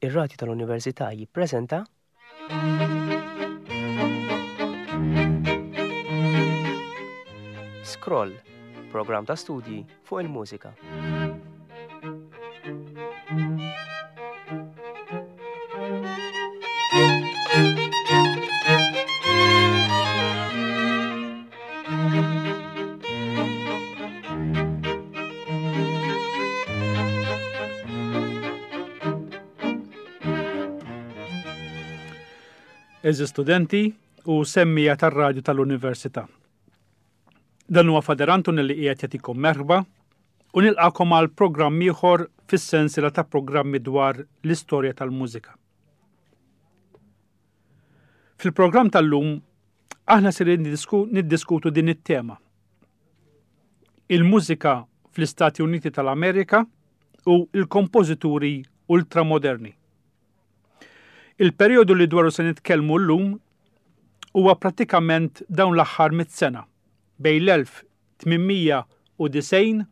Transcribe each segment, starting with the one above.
Ir-Radju tal-Università jippreżenta. Scroll, programm ta' studji fuq il-mużika. Eżi studenti u semmija tar-radju tal-Università. Dan huwa Fader Anton li qiegħed jagħtikom merħba u nilqakom għal programm ieħor fis-sensiela ta' programmi dwar l-istorja tal-mużika. Fil-programm tal-lum aħna ser niddiskutu din it-tema. Il-mużika fl-Istati Uniti tal-Amerika u l-kompożituri ultramoderni. Il-perjodu li dwaru se nitkellmu llum huwa prattikament dawn l-aħħar mit sena bejn l-1890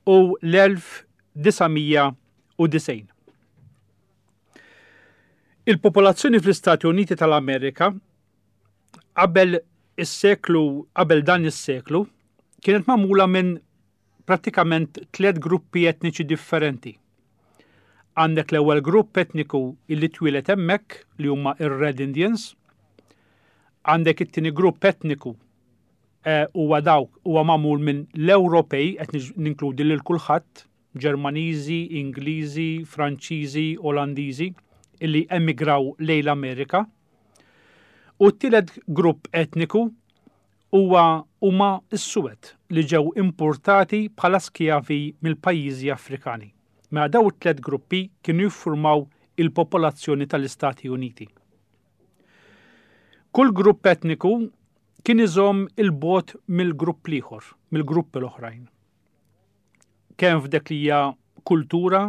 u l-1990. Il-popolazzjoni fl-Istati Uniti tal-Amerika qabel is-seklu qabel dan is-seklu kienet magħmula minn prattikament tliet gruppi etniċi differenti. Għandek l-ewwel grupp etniku illi twieled hemmhekk li huma ir-Red Indians, għandek it-tieni grupp etniku eh, huwa dawk huwa magħmul minn l-Ewropej qed ninkludi lil kulħadd, Ġermaniżi, Ingliżi, Franċiżi, Olandiżi illi emigraw lejn l-Amerika. U t-tielet grupp etniku huwa huma s-suwed li ġew impurtati bħala skjavi mill-pajjiżi Afrikani. Mela daw it-tliet gruppi kienu jiffurmaw il-popolazzjoni tal-Istati Uniti. Kull grupp etniku kien iżomm il-bogħod mill-grupp l-ieħor, mill-gruppi l-oħrajn. Kemm f'dik li hija kultura,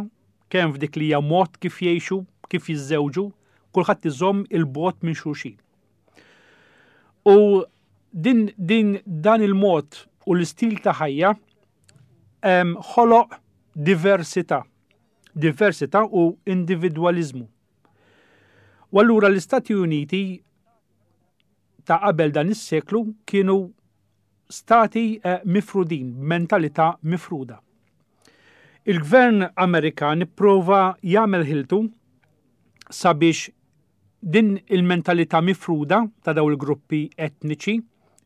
kemm f'dik li hija mod kif jgħixu, kif jiżżewġu, kulħadd iżomm il-bogħod minn xulxin. U din, din dan il-mod u l-istil ta' ħajja ħoloq diversità. Diversità u individwaliżmu. U allura l-Istati Uniti ta' qabel dan is-seklu kienu stati eh, mifrudin, b'mentalità mifruda. Il-gvern Amerikan ipprova jagħmel ħiltu sabiex Din il-mentalità mifruda ta' dawn il-gruppi etniċi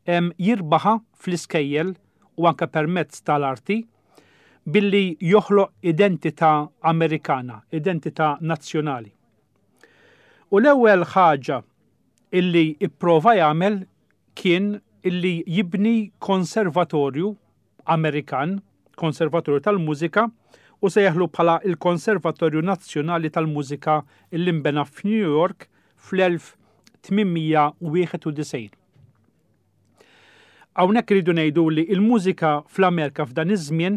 jirbaħha fl-iskejjel u anke permezz tal-arti billi joħloq identità Amerikana, identità nazzjonali. U l-ewwel ħaġa illi ipprova jagħmel kien illi jibni konservatorju Amerikan, Konservatorju tal-Mużika, u sejjaħlu bħala il-Konservatorju Nazzjonali tal-Mużika li nbena f'New York fl-1891. Hawnhekk iridu ngħidu li l-mużika fl-Amerika f'dan iż-żmien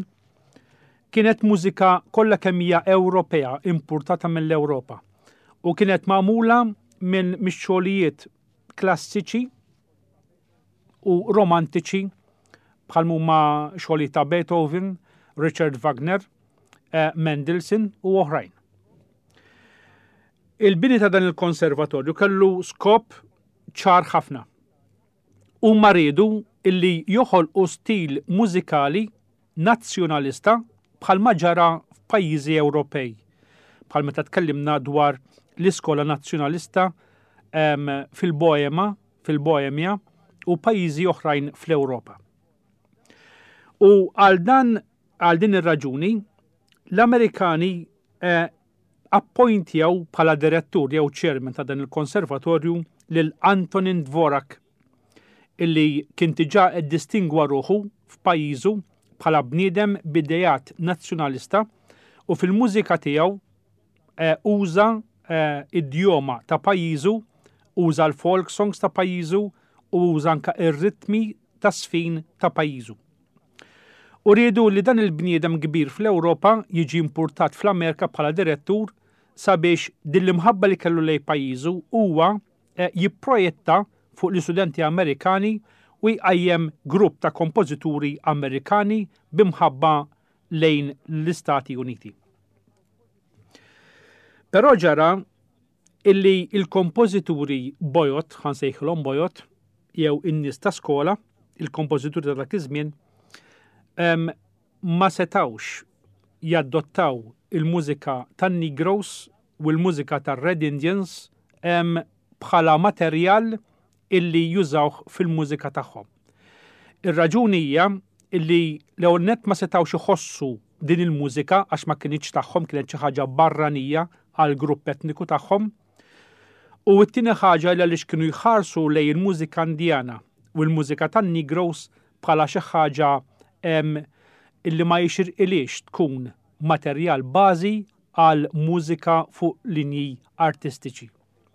kienet mużika kollha kemm hija Ewropea importata mill-Ewropa u kienet magħmula minn mix-xogħlijiet klassiċi u romantiċi bħal huma xogħlijiet ta' Beethoven, Richard Wagner, eh, Mendelssohn u oħrajn. Il-bini ta' dan il-konservatorju kellu skop ċar ħafna. Huma riedu illi joħolqu stil mużikali nazzjonalista bħalma ġara f'pajjiżi Ewropej, bħal meta tkellimna dwar l-iskola nazzjonalista ehm, fil-Boema, fil-Boemja u pajjiżi oħrajn fl-Ewropa. U għal dan għal din ir-raġuni l-Amerikani eh, appointjaw bħala direttur jew chairman ta' dan il-konservatorju lil Antonin Dvorak illi kien diġà iddistingwa ruħu f'pajjiżu bħala bniedem b'ideat nazzjonalista u fil-mużika tiegħu eh, uża eh, idjoma ta' pajjiżu, uża l-folk songs ta' pajjiżu u uża anka ir-ritmi ta' sfin ta' pajjiżu. U riedu li dan il-bniedem kbir fl-Ewropa jiġi importat fl-Amerika bħala direttur sabiex din l-imħabba li kellu lej pajjiżu huwa eh, jipprojetta fuq l-istudenti Amerikani u jqajjem grupp ta' kompożituri Amerikani b'imħabba lejn l-Istati Uniti. Però ġara illi il-kompożituri bojod, ħa nsejħilhom bojod, jew in-nies ta' skola, il-kompożituri ta' dak iż-żmien, ma setawx jaddottaw il-mużika tan-Negroes u l-mużika tar-Red Indians bħala materjal illi jużawh fil-mużika tagħhom. Ir-raġuni hija illi l-ewwel nett ma setgħux iħossu din il-mużika għax ma kinitx tagħhom, kienet xi ħaġa barranija għall-grupp etniku tagħhom. U t-tieni ħaġa li għaliex kienu jħarsu lejn il-mużika Indjana u l-mużika tan-Negroes bħala xi ħaġa illi ma jixirqilhiex tkun materjal bażi għal mużika fuq linji artistiċi.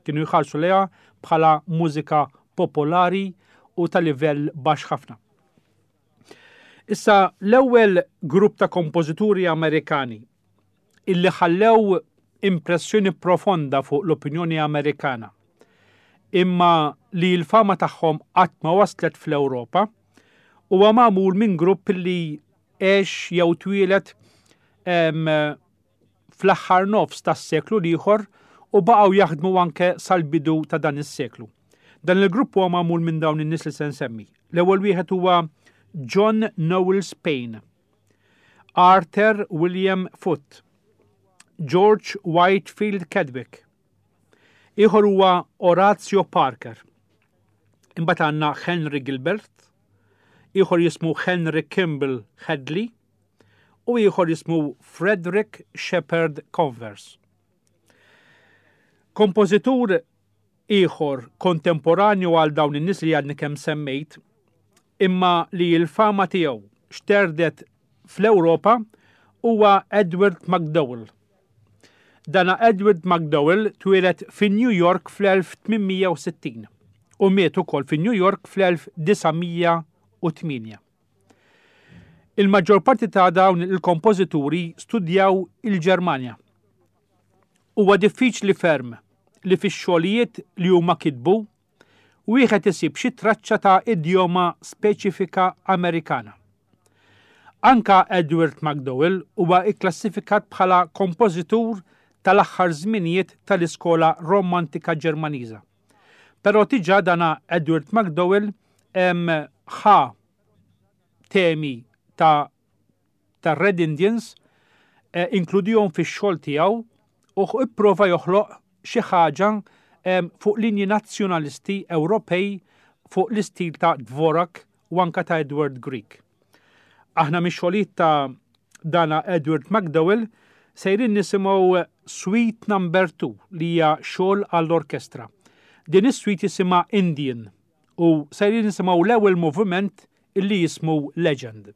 Kienu jħarsu lejha bħala mużika popolari u ta' livell baxx ħafna. Issa l-ewwel grupp ta' kompożituri Amerikani illi ħallew impressjoni profonda fuq l-opinjoni Amerikana imma li l-fama tagħhom qatt ma waslet fl-Ewropa huwa magħmul minn grupp li għex jew twieled fl-aħħar nofs tas-seklu l-ieħor u baqgħu jaħdmu anke sal-bidu ta' dan is-seklu. Dan il-grupp huwa magħmul minn dawn in-nies li se nsemmi. L-ewwel wieħed huwa John Knowles Paine, Arthur William Foote, George Whitefield Chadwick. Ieħor huwa Horatio Parker. Imbagħad għandna Henry Gilbert, ieħor jismu Henry Kimball Hadley u ieħor jismu Frederick Shepard Converse. Kompożitur ieħor kontemporanju għal dawn in-nies li għadni kemm semmejt, imma li l-fama tiegħu xterdet fl-Ewropa huwa Edward MacDowell. Dana Edward MacDowell twieled fi New York fl-1860 u miet ukoll fi New York fl-1908. Il-maġġor parti ta' dawn il-kompożituri studjaw il-Ġermanja. Huwa diffiċli ferm li fix-xogħlijiet li huma kitbu wieħed isib xi traċċa ta' idjoma speċifika Amerikana. Anka Edward MacDowell huwa kklassifikat bħala kompożitur tal-aħħar żminijiet tal-iskola Romantika Ġermaniża. Però diġà dana Edward MacDowell ħa temi ta' tar-Red Indians, inkludihom fix-xogħol tiegħu u ipprova joħloq xi ħaġa fuq linji nazzjonalisti Ewropej fuq l-istil ta' Dvorak u anka ta' Edward Grieg. Aħna mix-xogħlijiet ta' dana Edward MacDowell sejrin nisimgħu Suite Number 2 li hija xogħol għall-orkestra. Din is-suite jisimha Indian u sejrin nisimgħu l-ewwel moviment illi jismu Legend.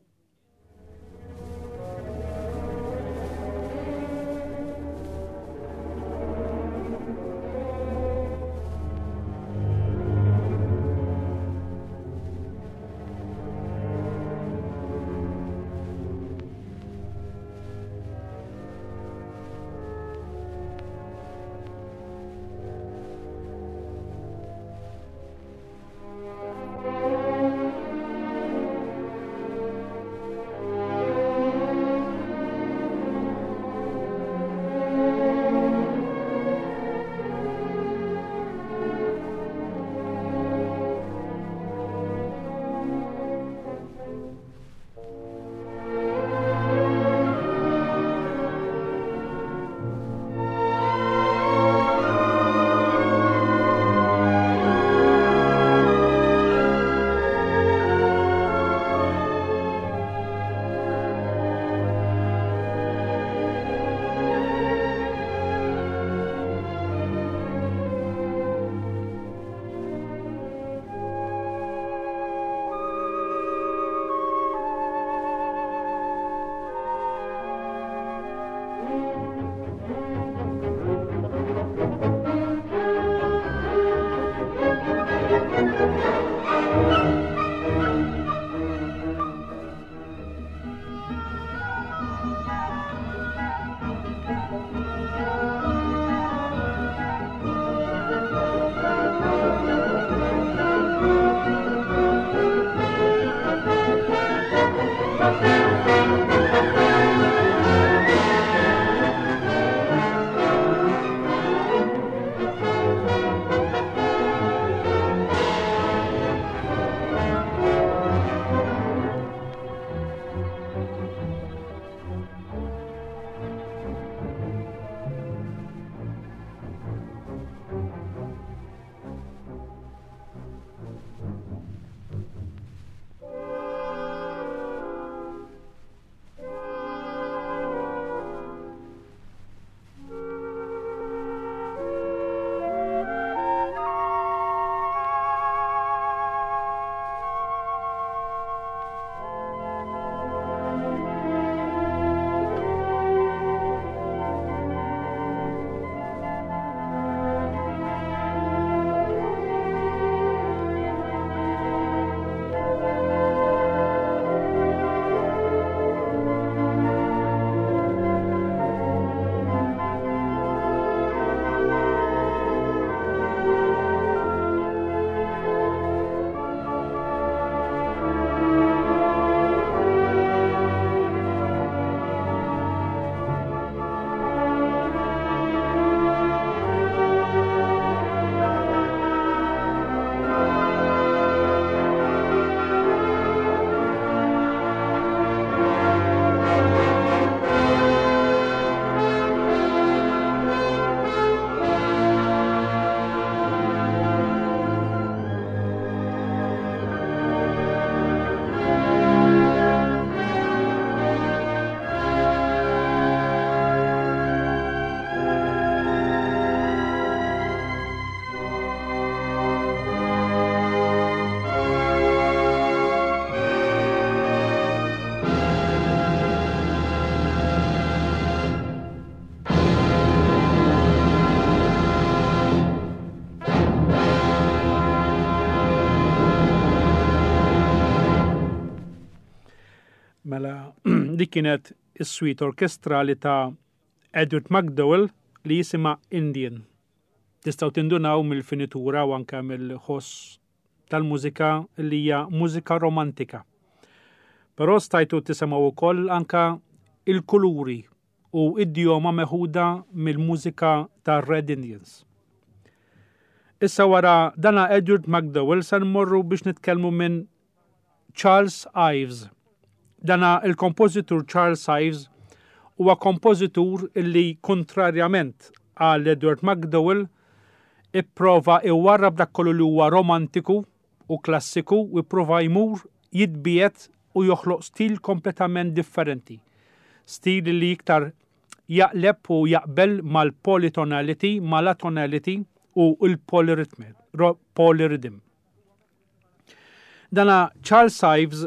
Mela dik kienet is-suite orkestrali ta' Edward MacDowell li jisimha Indian. Tistgħu tindunaw mill-finitura u anke mill-ħoss tal-mużika li hija mużika romantika. Però stajtu tisimgħu wkoll anke il-kuluri u idjoma meħuda mill-mużika tar-Red Indians. Issa wara dana Edward MacDowell se nmorru biex nitkellmu minn Charles Ives. Dana il-kompożitur Charles Ives huwa kompożitur illi kontrarjament għal Edward MacDowell ipprova iwarrab dak kollu li huwa romantiku u klassiku u ipprova jmur jitbiegħed u joħloq stil kompletament differenti. Stil li iktar jaqleb u jaqbel mal-polytonality, mal-atonality u l-polyrhythm. Dana Charles Ives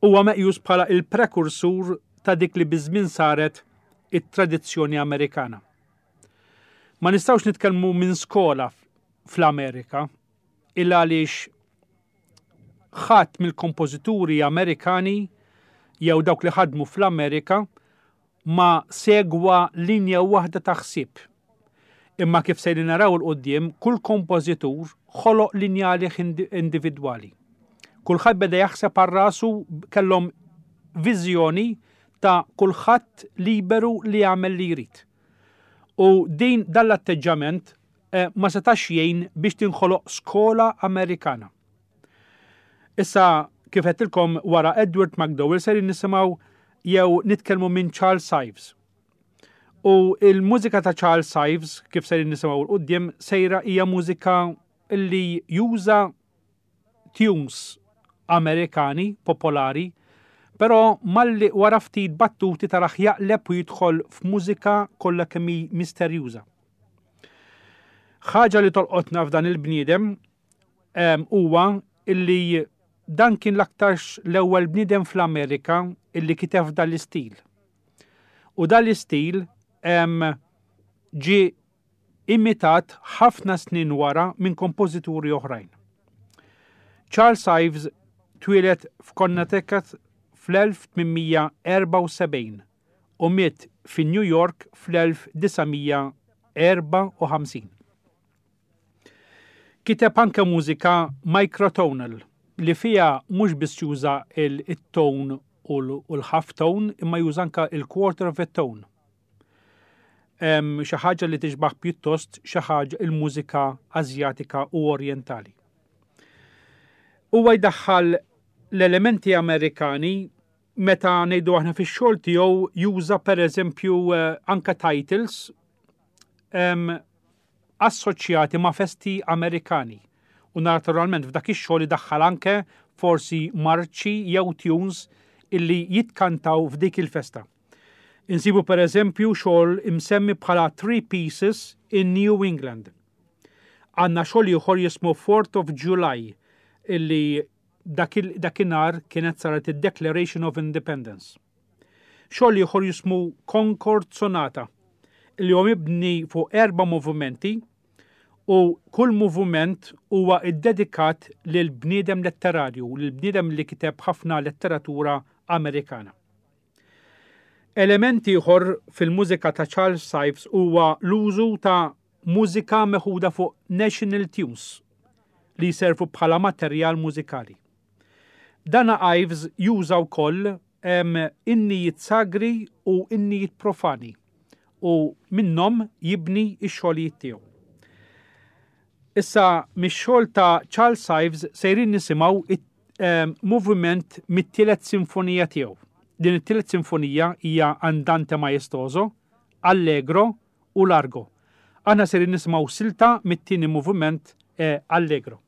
huwa meqjus bħala il-prekursur ta' dik li biż-żmien saret it-tradizzjoni Amerikana. Ma nistgħux nitkellmu minn skola fl-Amerika il għaliex ħadd mill-kompożituri Amerikani jew dawk li ħadmu fl-Amerika ma segwa linja waħda ta' ħsieb. Imma kif sejrin naraw 'il quddiem, kull kompożitur ħoloq linja għalih individwali. Kulħadd beda jaħseb għal rasu kellhom viżjoni ta' kulħadd liberu li jagħmel li jrid. U din dan l-atteġġament eh, ma setax jgħin biex tinħoloq skola Amerikana. Issa, kif għedtilkom wara Edward MacDowell ser nisimgħu jew nitkellmu minn Charles Ives. U il-mużika ta' Charles Ives, kif ser nisimgħu l-qudiem, sejra hija mużika li juża tunes Amerikani popolari, però malli wara ftit battuti taraħ jaqleb u jidħol f'mużika kollha kemm hi misterjuża. Ħaġa li tolqotna f'dan il-bniedem huwa illi dan kien l-aktarx l-ewwel bniedem fl-Amerika illi kiteb f'dan l-istil. U dan l-istil ġie imitat ħafna snin wara minn kompożituri oħrajn. Charles Ives twieled f'Connecticut fl-1874 u miet fi New York fl-1954. Kiteb anke mużika microtonal li fiha mhux biss juża il-tone u l-half tone imma juża anke il-quarter of a tone. Xi ħaġa li tixbaħ pjuttost xi ħaġa il-mużika Asjatika u Orjentali. Huwa jdaħħal l-elementi Amerikani meta ngħidu aħna fix-xogħol tiegħu juża pereżempju eh, anka titles assoċjati ma' festi Amerikani u naturalment f'dak ix-xogħol idaħħal anke forsi marċi jew tunes illi jitkantaw f'dik il-festa. Insibu per eżempju xogħol imsemmi bħala Three Pieces in New England. Għandna xogħol ieħor jismu Fourth of July illi dakinhar kienet saret id-Declaration of Independence. Xogħol ieħor jismu Concord Sonata li huwa mibni fuq erba' movimenti u kull moviment huwa ddedikat lil bniedem letterarju, lil bniedem li kiteb ħafna letteratura Amerikana. Element ieħor fil-mużika ta' Charles Ives huwa l-użu ta' mużika meħuda fuq national tunes li jservu bħala materjal mużikali. Dana Ives juża wkoll innijiet sagri u innijiet profani u minnhom jibni x-xogħlijiet tiegħu. Issa mix-xogħol ta' Charles Ives sejrin nisimgħu moviment mit-tielet sinfonija tiegħu. Din it-tielet sinfonija hija Andante Maestoso, Allegro u Largo. Aħna sejrin nisimgħu silta mit-tieni moviment eh, Allegro.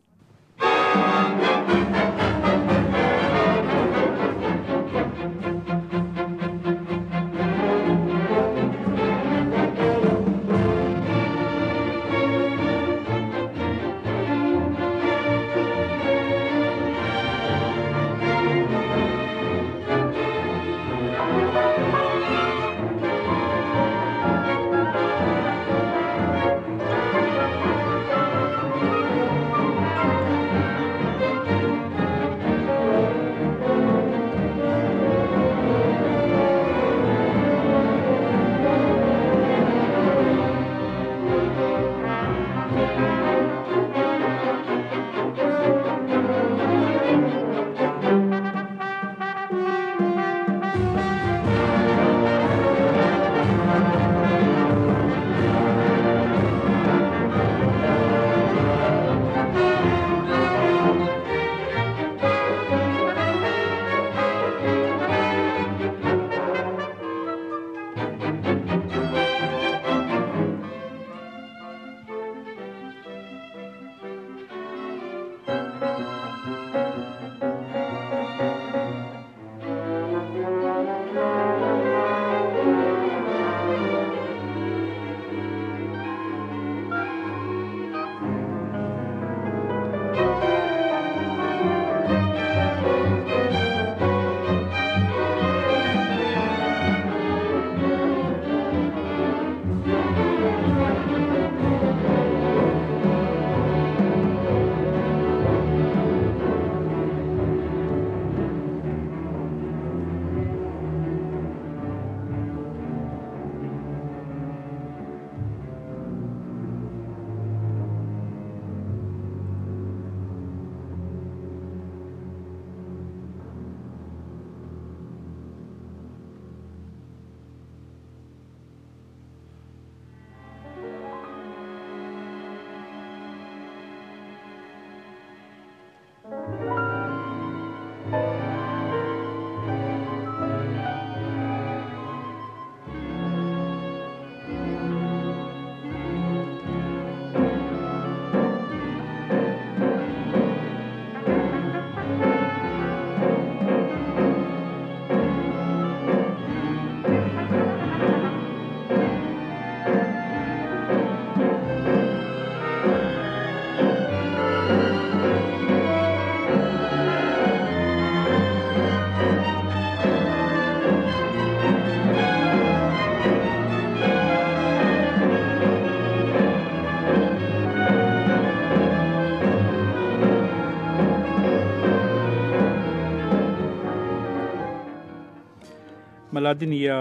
Mela din hija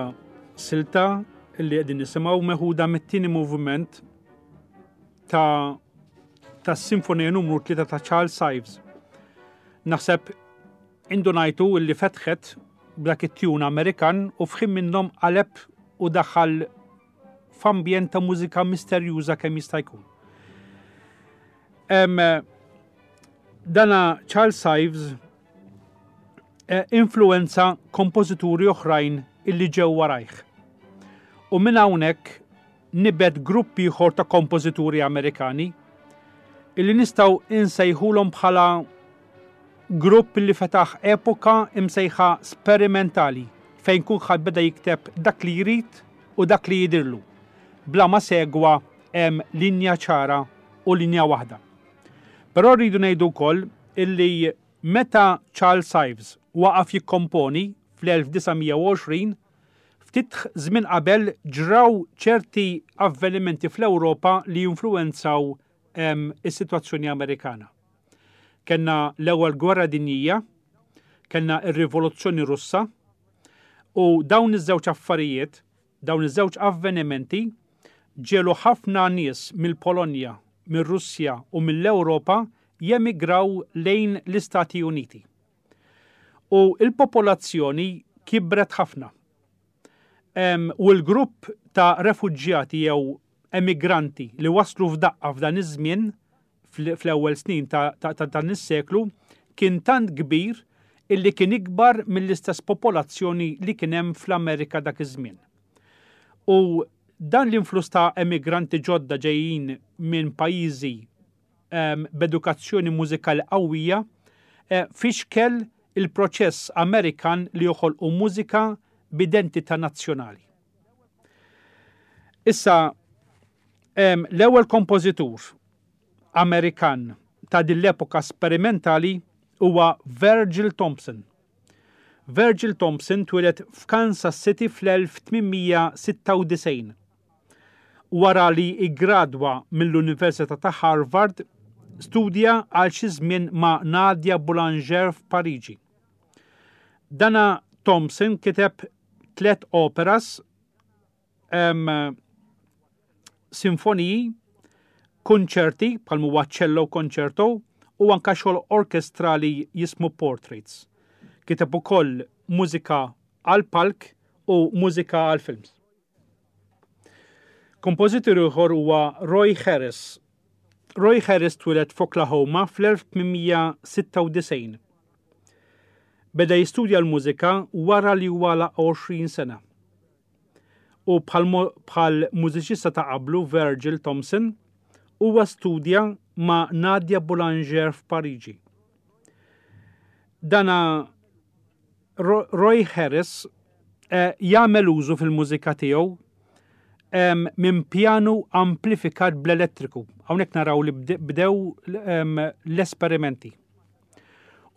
silta li qegħdin nisimgħu meħuda mit-tieni moviment ta' tas-Sinfonija numru 3 ta' Charles Ives. Naħseb indunajtu li fetħet b'dak it-tjun Amerikan u f'ħin minnhom qaleb u daħal f'ambjent ta' mużika misterjuża kemm jista' jkun. Dana Charles Ives eh, influenza kompożituri oħrajn illi ġew warajh. U minn hawnhekk nibet grupp ieħor ta' kompożituri Amerikani illi nistgħu insejħulhom bħala grupp li fetaħ epoka imsejħa sperimentali fejn kulħadd beda jikteb dak li jrid u dak li jidirlu, bla ma segwa hemm linja ċara u linja waħda. Però rridu ngħidu wkoll illi meta Charles Ives waqaf jikkomponi fl-1920, ftit żmien qabel ġraw ċerti avvenimenti fl-Ewropa li influwenzaw is-sitwazzjoni Amerikana. Kellna l-Ewwel Gwerra Dinjija, kellna r-Rivoluzzjoni Russa, u dawn iż-żewġ affarijiet, dawn iż-żewġ avvenimenti ġiegħlu ħafna nies mill-Polonja, mir-Russja u mill-Ewropa jemigraw lejn l-Istati Uniti. U l-popolazzjoni kibret ħafna. U l-grupp ta' refuġjati jew emigranti li waslu f'daqqa f'dan iż-żmien fl-ewwel snin ta' dan is-seklu kien tant kbir illi kien ikbar mill-istess popolazzjoni li kien hemm fl-Amerika dak iż-żmien. U dan l-influss ta' emigranti ġodda ġejjin minn pajjiżi ehm, b'edukazzjoni mużikali qawwija eh, fixkel il-proċess Amerikan li joħolqu mużika b'identità nazzjonali. Issa, l-ewwel kompożitur Amerikan ta' din l-epoka sperimentali huwa Virgil Thomson. Virgil Thomson twieled f'Kansas City fl-1896. Wara li iggradwa mill-Università ta' Harvard, studja għal xi żmien ma' Nadia Boulanger f'Pariġi. Dana Thomson kiteb tlet operas, sinfoniji, kunċerti bħal huwa cello concerto u anka xogħol orkestrali jismu Portraits. Kiteb ukoll mużika għal palk u mużika għal films. Kompożitur ieħor huwa Roy Harris. Roy Harris twieled f'Oklahoma fl-1896. Beda jistudja l-mużika wara li huwa għalaq 20 sena. U bħal mużiċista ta' qablu Virgil Thomson, huwa studja ma' Nadia Boulanger f'Pariġi. Dana Roy Harris eh, jagħmel użu fil-mużika tiegħu minn pjanu amplifikat bl-elettriku. Hawnhekk naraw li bdew l-esperimenti.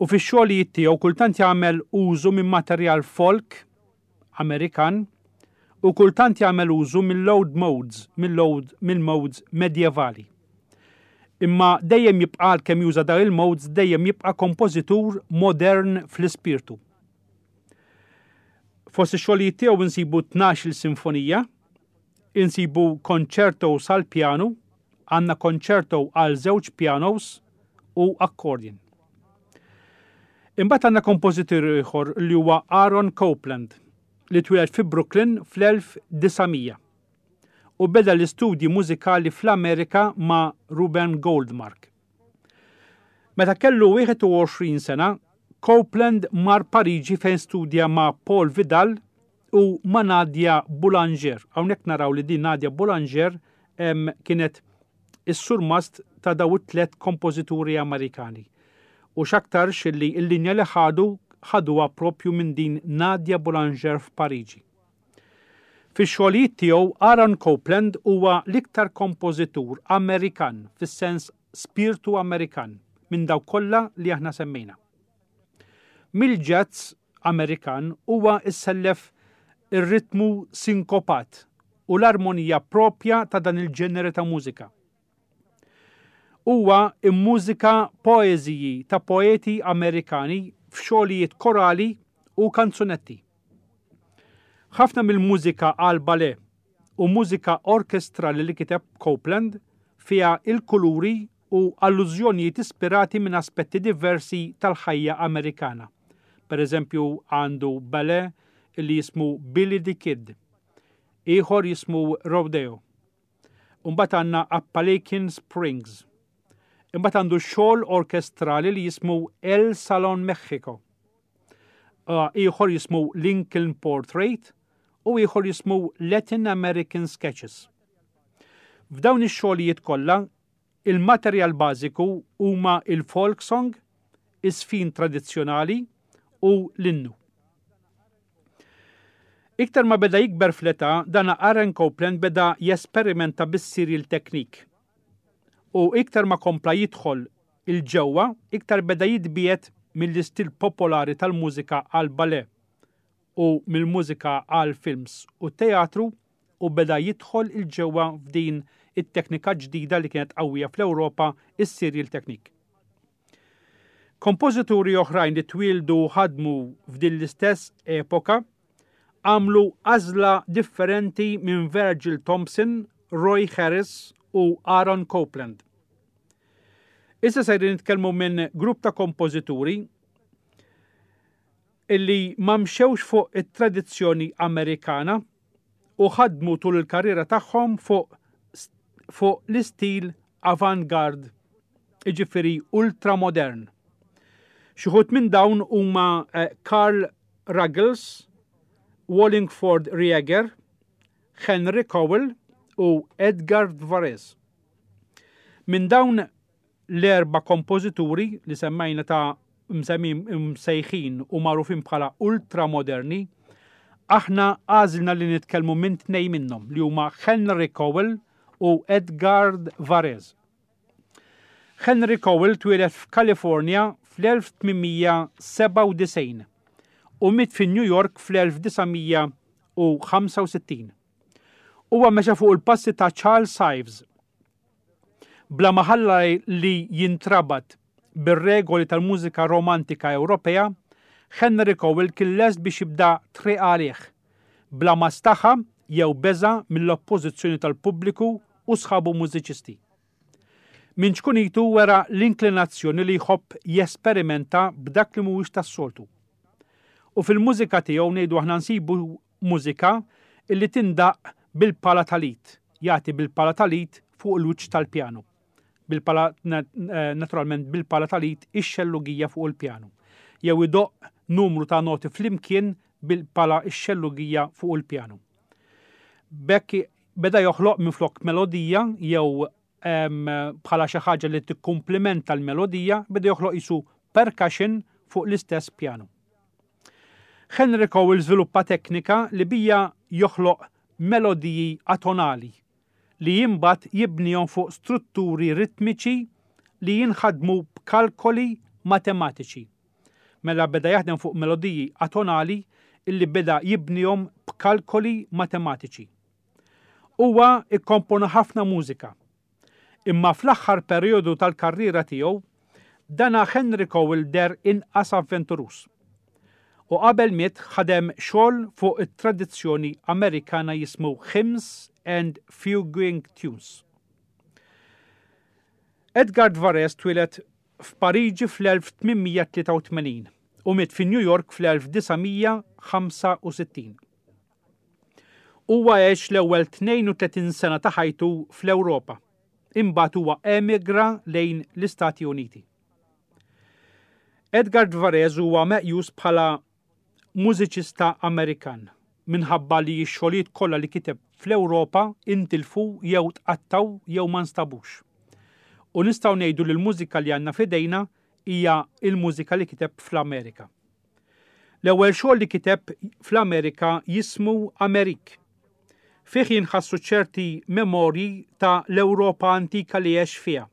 U fix-xogħlijiet tiegħu kultant jagħmel użu minn materjal folk Amerikan u kultant jagħmel użu mill-old modes, mill-old mill-modes medjevali. Imma dejjem jibqa' għalkemm juża dawn il-modes dejjem jibqa' kompożitur modern fl-ispirtu. Fost ix-xogħlijiet tiegħu insibu 12-il sinfonija, insibu konċerto sal-pjanu, għandna konċerto għal żewġ pjanos u accordion. Imbagħad għandna kompożitur ieħor li huwa Aaron Copland li twieled fi Brooklyn fl-1900 u beda l-istudji mużikali fl-Amerika ma' Ruben Goldmark. Meta kellu 21 sena, Copland mar Pariġi fejn studja ma' Paul Vidal u ma' Nadia Boulanger. Hawnhekk naraw li din Nadia Boulanger kienet is-surmast ta' daw it-tlet kompożituri Amerikani. U x'aktarx li l-linja li ħadu ħaduha propju minn din Nadia Boulanger f'Pariġi. Fix-xogħlijiet tiegħu Aaron Copland huwa l-iktar kompożitur Amerikan fis-sens spirtu Amerikan minn dawk kollha li aħna semmejna. Mill-jazz Amerikan huwa issellef ir-ritmu sinkopat u l-armonija proprja ta' dan il-ġenere ta' mużika. Huwa mmużika poeżiji ta' poeti Amerikani f'xogħlijiet korali u kanzunetti. Ħafna mill-mużika għal ballet u mużika orkestrali li kiteb Copland fiha il-kuluri u allużjonijiet ispirati minn aspetti diversi tal-ħajja Amerikana. Per eżempju għandu ballet li jismu Billy the Kid, ieħor jismu Rodeo. Imbagħad għandna Appalachian Springs. Imbagħad għandu xogħol orkestrali li jismu El Salon Mexico. Ieħor jismu Lincoln Portrait u ieħor jismu Latin American Sketches. F'dawn ix-xogħlijiet kollha, il-materjal bażiku huma il-folk song, iż-żfin tradizzjonali u l-innu. Iktar ma beda jikber fl-età, dan Aaron Copland beda jesperimenta bis-serial technique. U iktar ma kompla jidħol 'il ġewwa, iktar beda jitbiegħed mill-istil popolari tal-mużika għall-ballet u mill-mużika għall-films u t-teatru u beda jidħol 'il ġewwa f'din it-teknika ġdida li kienet qawwija fl-Ewropa, is-serial technique. Kompożituri oħrajn li twieldu u ħadmu f'din l-istess epoka għamlu għażla differenti minn Virgil Thomson, Roy Harris u Aaron Copland. Issa sejrin nitkellmu minn grupp ta' kompożituri illi ma mxewx fuq it-tradizzjoni Amerikana u ħadmu tul il-karriera tagħhom fuq fuq l-istil avant-garde, jiġifieri ultramodern. Xi wħud minn dawn huma eh, Carl Ruggles, Wallingford Rieger, Henry Cowell u Edgar Varese. Minn dawn L-erba' kompożituri li semmejna ta' msejħin u magħrufin bħala ultramoderni, aħna għażilna li nitkellmu minn tnejn minnhom li huma Henry Cowell u Edgard Varèse. Henry Cowell twieled f'Kalifornja fl-1897 u miet fi New York fl-1965. Huwa mexa fuq il-passi ta' Charles Ives Bla ma ħalla li jintrabat bir-regoli tal-mużika romantika Ewropea, Henry Cowell kien lest biex jibda triq għalih, bla ma staħa jew beża' mill-oppożizzjoni tal-pubbliku u sħabu mużiċisti. Minn ċkunitu wera l-inklinazzjoni li jħobb jesperimenta b'dak li mhuwiex tas-soltu. U fil-mużika tiegħu ngħidu aħna nsibu Mużika illi tindaqq bil-pala tal-id, jagħti bil-pala tal-id fuq il-wiċċ tal-pjanu. Bil-pala naturalment bil-pala tal-id ix-xellugija fuq il-pjanu. Jew idoqq numru ta' noti flimkien bil-pala x-xellugija fuq il-pjanu. B'hekk beda joħloq minflok melodija jew bħala xi ħaġa li tikkumplimenta l-melodija, beda joħloq qisu percussion fuq l-istess pjanu. Henry Cowell żviluppa teknika li bija joħloq melodiji atonali li imbagħad jibnihom fuq strutturi ritmiċi li jinħadmu b'kalkoli matematiċi. Mela beda jaħdem fuq melodiji atonali illi beda jibnihom b'kalkoli matematiċi. Huwa kkompona ħafna mużika. Imma fl-aħħar perijodu tal-karriera tiegħu, dana Henry Cowell deher inqas avventuruż. U qabel miet ħadem xogħol fuq it-tradizzjoni Amerikana jismu Hymns and Fuguing Tunes. Edgard Varèse twieled f'Pariġi fl-1883 u miet fi New York fl-1965. Huwa għex l-ewwel 32 sena ta' ħajtu fl-Ewropa, imbagħad huwa emigra lejn l-Istati Uniti. Edgard Varèse huwa meqjus bħala mużiċista Amerikan minħabba li x-xogħlijiet kollha li kiteb fl-Ewropa intilfu jew tqattgħu jew ma nstabux. U nistgħu ngħidu li l-mużika li għandna f'idejna hija l-mużika li kiteb fl-Amerika. L-ewwel xogħol li kiteb fl-Amerika jismu Amerik. Fih jinħassu ċerti memorji ta' l-Ewropa antika li għex fiha.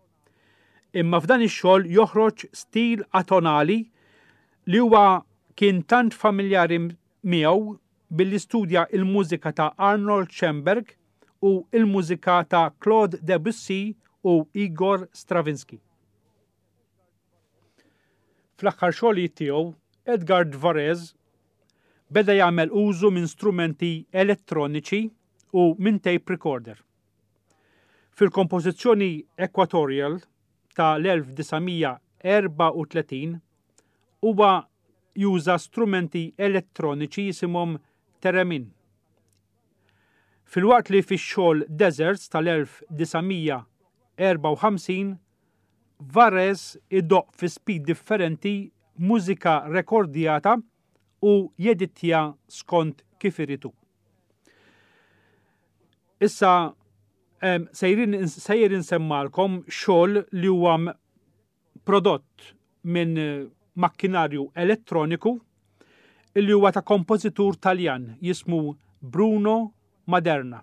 Imma f'dan ix-xogħol joħroġ stil atonali li huwa kien tant familjari miegħu billi studja l-mużika ta' Arnold Schoenberg u l-mużika ta' Claude Debussy u Igor Stravinsky. Fl-aħħar xogħlijiet tiegħu, Edgard Varèse Beda jagħmel użu minn strumenti elettroniċi u minn tape recorder. Fil-kompożizzjoni Equatorial ta' l-1934 huwa juża strumenti elettroniċi jisimhom theremin. Filwaqt li fix-xogħol Deserts tal-1954 Varese idoqq fi speed differenti mużika rekordjata u jedittja skont kif irid hu. Issa sejrin sejjer insemmalkom xogħol li huwa prodott minn makkinarju elettroniku li huwa ta' kompożitur Taljan jismu Bruno Maderna.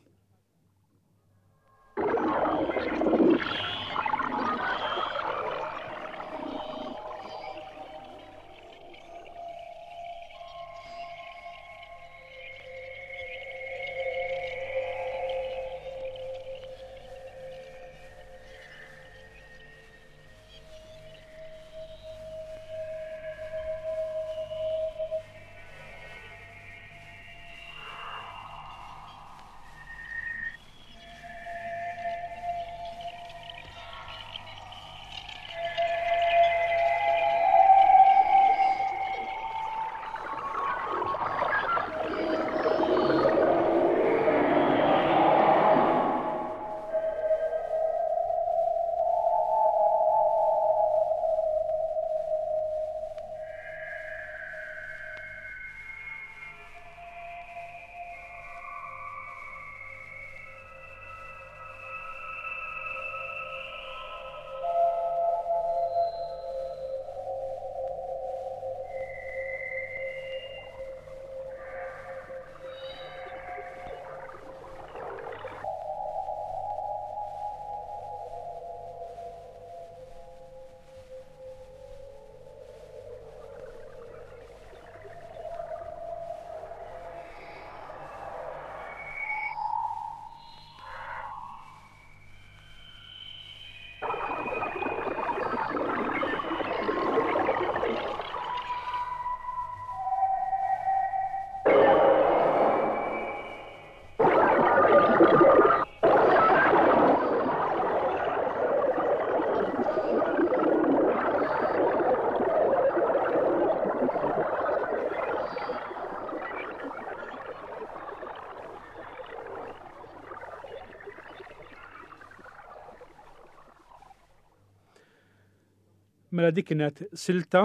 Mela dik kienet silta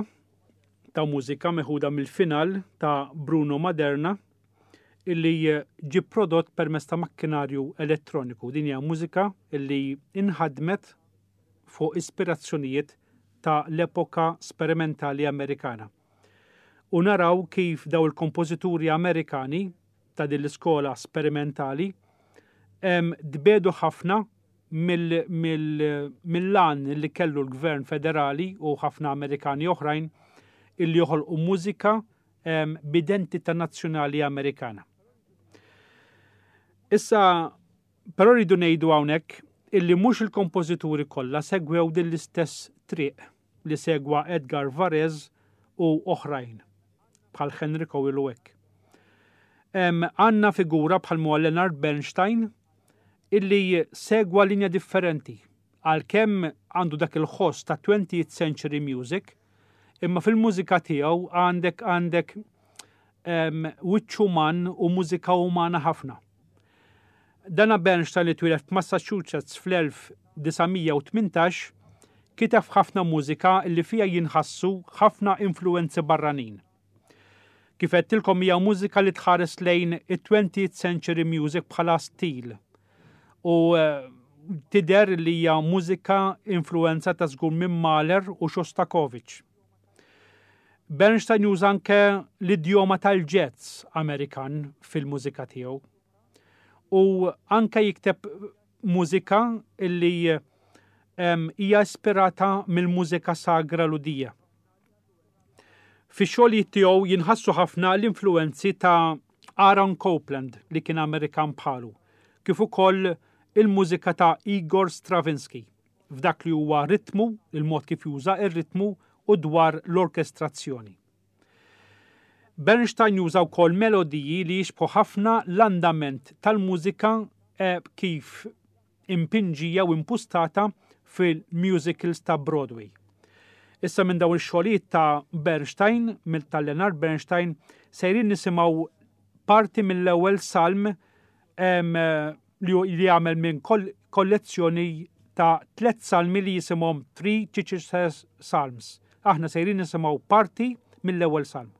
ta' mużika meħuda mill-final ta' Bruno Maderna illi ġie prodott permezz ta' makkinarju elettroniku. Din hija mużika illi inħadmet fuq ispirazzjonijiet ta' l-epoka sperimentali Amerikana. U naraw kif daw il-kompożituri Amerikani ta' din l-iskola sperimentali tbedu ħafna mill-għan li kellu l-gvern federali u ħafna Amerikani oħrajn illi joħolqu mużika b'identità nazzjonali Amerikana. Issa, però rridu ngħidu hawnhekk illi mhux il-kompożituri kollha segwew din l-istess triq li segwa Edgar Varèse u oħrajn bħal Henry Cowell u hekk. Għandna figura bħal huwa Leonard Bernstein illi segwa linja differenti għalkemm għandu dak il-ħoss ta' 20th century music, imma fil-mużika tiegħu għandek għandek wiċċ uman u mużika umana ħafna. Dana Bernstein li twieled f'Massachusetts fl-1918 kiteb ħafna mużika li fiha jinħassu ħafna influenzi barranin. Kif għedtilkom hija mużika li tħares lejn it-20th century music bħala stil. U eh, tidher li hija mużika influenzata żgur minn Mahler u Shostakovich. Bernstein juża anke l-idjoma tal-jazz Amerikan fil-mużika tiegħu. U anke jikteb mużika li hija ispirata mill-mużika sagra Lhudija. Fix-xogħlijiet tiegħu jinħassu ħafna l-influwenzi ta' Aaron Copland li kien Amerikan bħalu, kif ukoll il-mużika ta' Igor Stravinsky f'dak li huwa ritmu, il-mod kif juża r-ritmu u dwar l-orkestrazzjoni. Bernstein juża wkoll melodiji li jixbħu ħafna l-andament tal-mużika eh, kif impinġija u impustata fil-musicals ta' Broadway. Issa minn dawn ix-xogħlijiet ta' Bernstein, mill ta' Leonard Bernstein, sejrin nisimgħu parti mill-ewwel salm li jagħmel minn kollezzjoni ta' tlet salmi li jisimhom Three Chichester Psalms. Aħna sejrin nisimgħu parti mill-ewwel salm.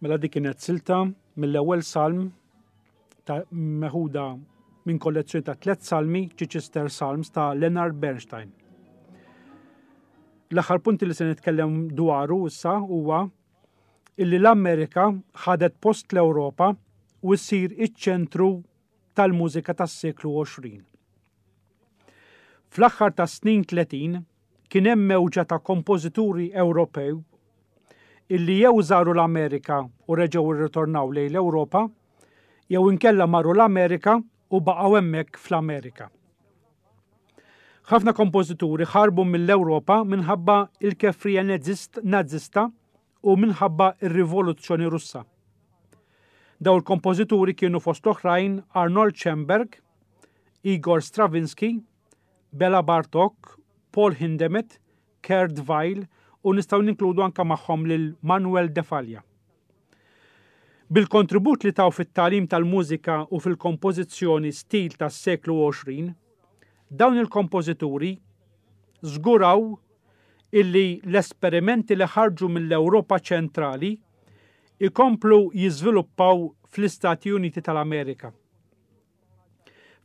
Mela dik kienet silta mill-ewwel salm ta' meħuda minn kollezzjoni ta' tliet salmi Chichester Psalms ta' Leonard Bernstein. L-aħħar punti li se nitkellem dwaru issa huwa illi l-Amerika ħadet post l-Ewropa u ssir iċ-ċentru tal-mużika tas-seklu 20. Fl-aħħar tas-snin 30 kien hemm mewġa ta' kompożituri Ewropew illi jew żaru l-Amerika u reġgħu rritornaw lejn l-Ewropa, jew inkella marru l-Amerika u baqgħu hemmhekk fl-Amerika. Ħafna kompożituri ħarbu mill-Ewropa minħabba il-kefrija Nazista u minħabba r-Rivoluzzjoni Russa. Daw il-kompożituri kienu fost l-oħrajn Arnold Schoenberg, Igor Stravinsky, Bela Bartok, Paul Hindemith, Kurt Weill u nistgħu ninkludu anke magħhom lil Manuel de Falla. Bil-kontribut li taw fit-tagħlim tal-mużika u fil-kompożizzjoni stil tas-seklu 20, dawn il-kompożituri żguraw illi l-esperimenti li ħarġu mill-Ewropa ċentrali ikomplu jiżviluppaw fl-Istati Uniti tal-Amerika.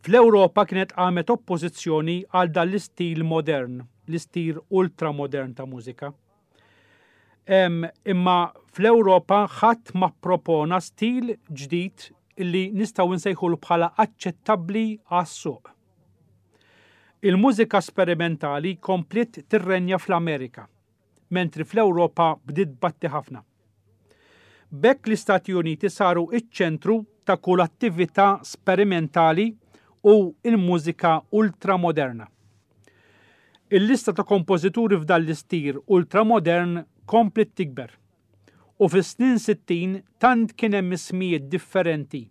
Fl-Ewropa kienet qamet oppożizzjoni għal dan l-istil modern, l-istil ultramodern ta' mużika. Imma fl-Ewropa ħadd ma ppropona stil ġdid illi nistgħu nsejħulu bħala aċċettabbli għas-suq. Il-mużika sperimentali kompliet tirrenja fl-Amerika, mentri fl-Ewropa bdiet tbatti ħafna. B'hekk l-Istati Uniti saru ċ-ċentru ta' kull attività sperimentali u l-mużika ultramoderna. Il-lista ta' kompożituri f'dan l-istil ultramodern kompliet tikber u fis-snin 60 tant kien hemm ismijiet differenti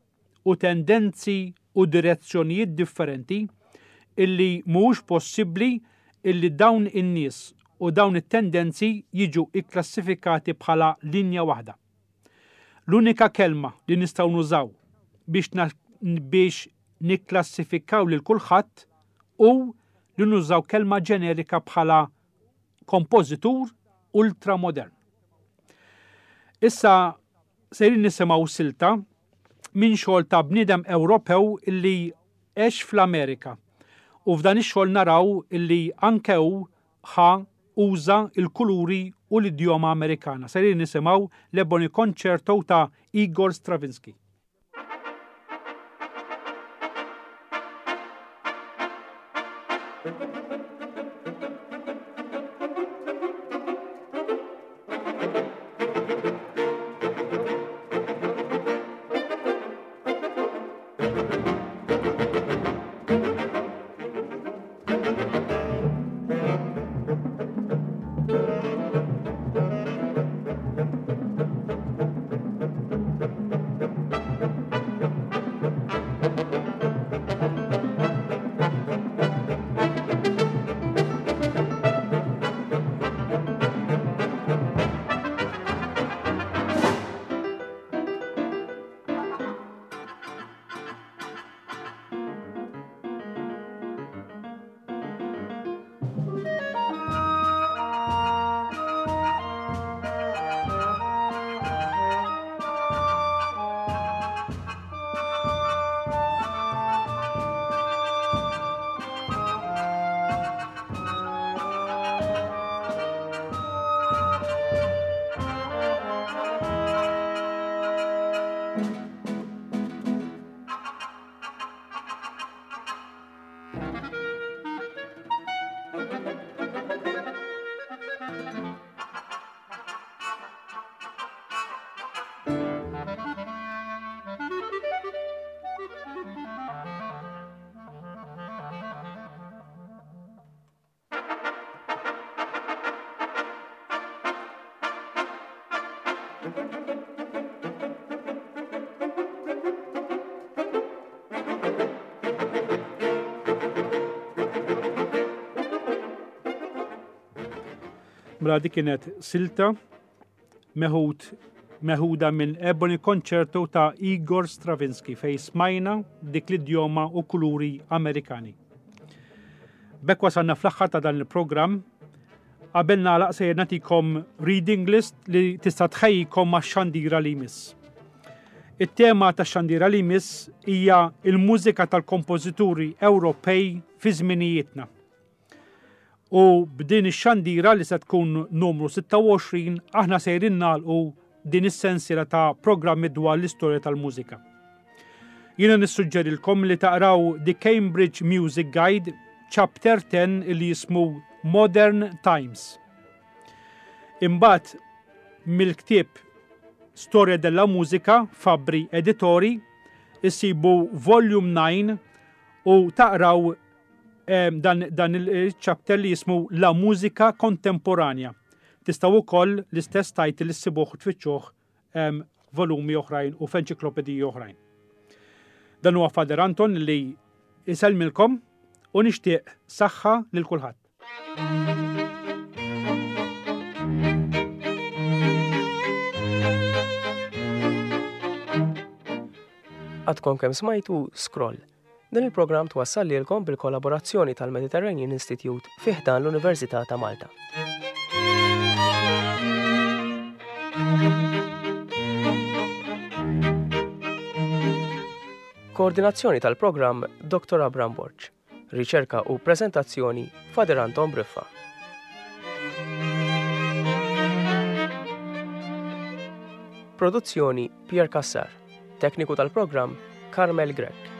u tendenzi u direzzjonijiet differenti illi mhuwiex possibbli illi dawn in-nies u dawn it-tendenzi jiġu kklassifikati bħala linja waħda. L-unika kelma li nistgħu nużaw biex biex nikklassifikaw lil kulħadd hu li nużaw kelma ġenerika bħala kompożitur ultramodern. Issa sejrin nisimgħu silta minn xogħol ta' bniedem Ewropew illi għex fl-Amerika. U f'dan ix-xogħol naraw illi anke hu ħa uża l-kuluri u l-idjoma Amerikana. Sejrin nisimgħu l-Ebony Concerto ta' Igor Stravinsky. Mela dik kienet silta meħud meħuda minn Ebony Concerto ta' Igor Stravinsky fej smajna dik l-idjoma u kuluri Amerikani. B'hekk wasalna fl-aħħar ta' dan il-programm. Qabel nagħlaq sejjer nagħtikom reading list li tista' tħejjikom għax-xandira li jmiss. It-tema tax-xandira li jmiss hija il-mużika tal-kompożituri Ewropej fi żminijietna. U b'din ix-xandira li se tkun numru 26 aħna sejrin nagħlqu din is-sensiela ta' programmi dwar l-istorja tal-mużika. Jiena nissuġġerilkom li taqraw The Cambridge Music Guide Chapter 10 li jismu Modern Times. Imbagħad mill-ktieb Storia della Musica Fabbri Editori issibu Volume 9 u taqraw dan, dan il-chapter li jismu La Musica Contemporanea. Tistgħu wkoll l-istess title issibuh u tfittxuh volumi oħrajn u f'enċiklopediji oħrajn. Dan huwa Father Anton li isellmilkom u nixtieq saħħa lil kulħadd. Għadkom kemm smajtu Scroll. Dan il-programm twassal lilkom bil-kollaborazzjoni tal-Mediterranean Institute fi ħdan l-Università ta' Malta. Koordinazzjoni tal-programm Dr. Abram Borg. Riċerka u prezentazzjoni Fader Anton Briffa. Produzzjoni Pierre Cassar. Tekniku tal-programm Carmel Grech.